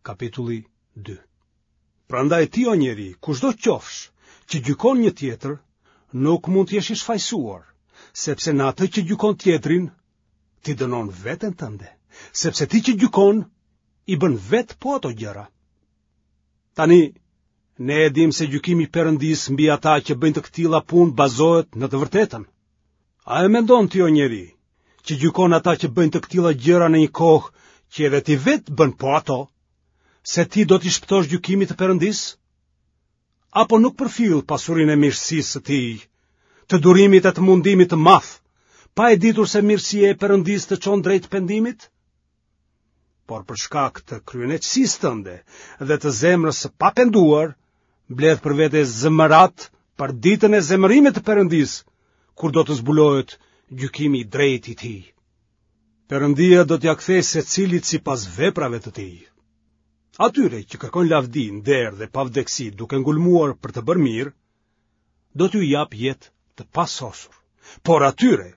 Kapitulli 2. Prandaj ti o njeri, kushdo qofsh, që gjykon një tjetër, nuk mund të jesh i shfajësuar, sepse në atë që gjykon tjetrin, ti dënon veten tënde, sepse ti që gjykon, i bën vetë po ato gjëra. Tani, ne e dimë se gjykimi i Perëndisë mbi ata që bëjnë të këtilla punë bazohet në të vërtetën. A e mendon ti o njeri, që gjykon ata që bëjnë të këtilla gjëra në një kohë që edhe ti vetë bën po ato, se ti do t'i shpëtosh gjykimit të Perëndisë? Apo nuk përfill pasurinë e mirësisë së tij, të durimit e të mundimit të madh, pa e ditur se mirësia e Perëndisë të çon drejt pendimit? Por për shkak të kryeneçësisë tënde dhe të zemrës së papenduar, mbledh për vete zemëratë për ditën e zemërimit të Perëndisë, kur do të zbulohet gjykimi i drejtë i tij. Perëndia do t'ia kthejë secilit sipas veprave të tij. Atyre që kërkojnë lavdi, nder dhe pavdekësi duke ngulmuar për të bërë mirë, do t'u japë jetë të pasosur. Por atyre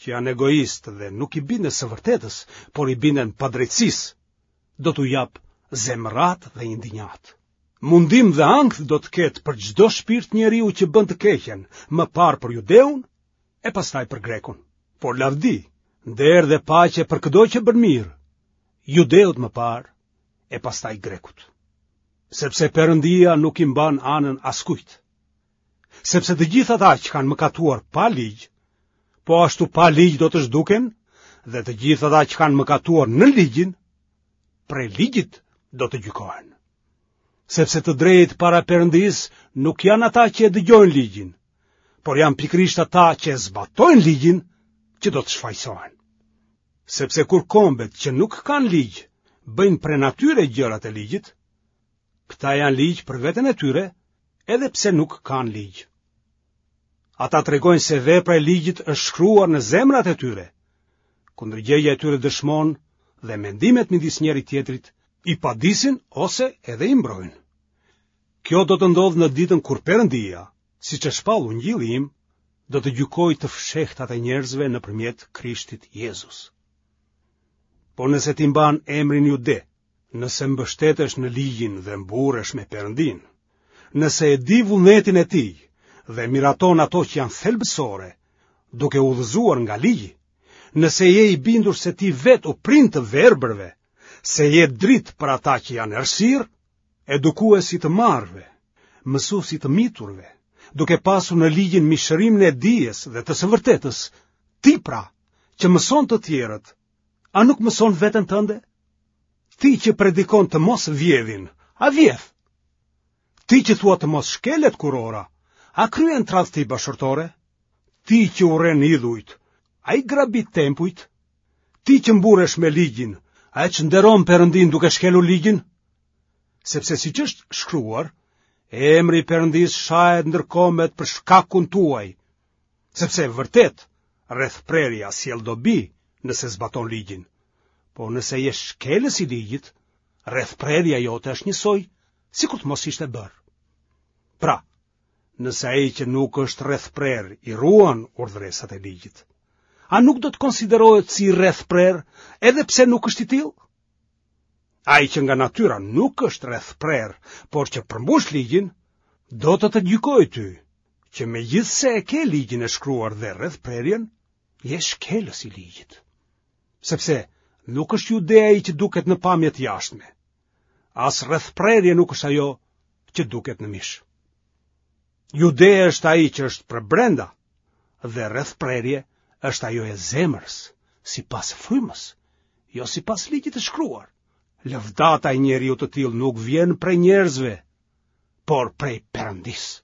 që janë egoistë dhe nuk i binden së vërtetës, por i binden padrejtësisë, do t'u japë zemëratë dhe indinjatë. Mundim dhe ankth do të ketë për çdo shpirt njeriu që bën të keqen, më parë për judeun e pastaj për grekun. Por lavdi, nder dhe paqe për këdo që bën mirë, judeut më parë e pastaj grekut. Sepse Perëndia nuk i mban anën askujt. Sepse të gjithë ata që kanë mëkatuar pa ligj, po ashtu pa ligj do të zhduken, dhe të gjithë ata që kanë mëkatuar nën ligjin, prej ligjit do të gjykohen. Sepse të drejtë para Perëndisë nuk janë ata që e dëgjojnë ligjin, por janë pikërisht ata që e zbatojnë ligjin që do të shfajësohen. Sepse kur kombet që nuk kanë ligj bëjnë prej natyre gjërat e ligjit, këta janë ligj për veten e tyre, edhe pse nuk kanë ligj. Ata tregojnë se vepra e ligjit është shkruar në zemrat e tyre. Ku ndërgjegjja e tyre dëshmon dhe mendimet midis njëri-tjetrit i padisin ose edhe i mbrojnë. Kjo do të ndodhë në ditën kur Perëndia, siç e shpall ungjilli im, do të gjykojë të fshehtat e njerëzve nëpërmjet Krishtit Jezus. Por nëse ti mban emrin Jude, nëse mbështetesh në ligjin dhe mburresh me Perëndinë, nëse e di vullnetin e tij dhe miraton ato që janë thelbësore, duke u udhëzuar nga ligji, nëse je i bindur se ti vetë u prin të verbërve, se je dritë për ata që janë errësirë, edukues i të marrëve, mësues i të miturve, duke pasur në ligjin mishërimin e dijes dhe të së vërtetës, ti pra, që mëson të tjerët, a nuk mëson veten tënde? Ti që predikon të mos vjedhin, a vjedh? Ti që thua të mos shkelet kurora, a kryen tradhti bashkëshortore? Ti që urren idhujt, a i grabit tempujt? Ti që mburresh me ligjin, a e çnderon Perëndinë duke shkelur ligjin? Sepse siç është shkruar, emri i Perëndisë shahet ndër kombet për shkakun tuaj, sepse vërtet rrethprerja sjell dobi nëse zbaton ligjin. Por nëse je shkelës i ligjit, rrethprerja jote është njësoj sikur të mos ishte bërë. Pra, nëse ai që nuk është rrethprerë i ruan urdhëresat e ligjit, a nuk do të konsiderohet si rrethprerë edhe pse nuk është i tillë? Ai që nga natyra nuk është rrethprerë, por që përmbush ligjin, do të të gjykojë ty, që megjithëse e ke ligjin e shkruar dhe rrethprerjen, je shkelës i ligjit. Sepse nuk është jude ai që duket në pamje të jashtme. As rrethprerje nuk është ajo që duket në mish. Jude është ai që është përbrenda dhe rrethprerje është ajo e zemrës, sipas frymës, jo sipas ligjit të shkruar. Lëvdata e njeriut të tillë nuk vjen prej njerëzve, por prej Perëndisë.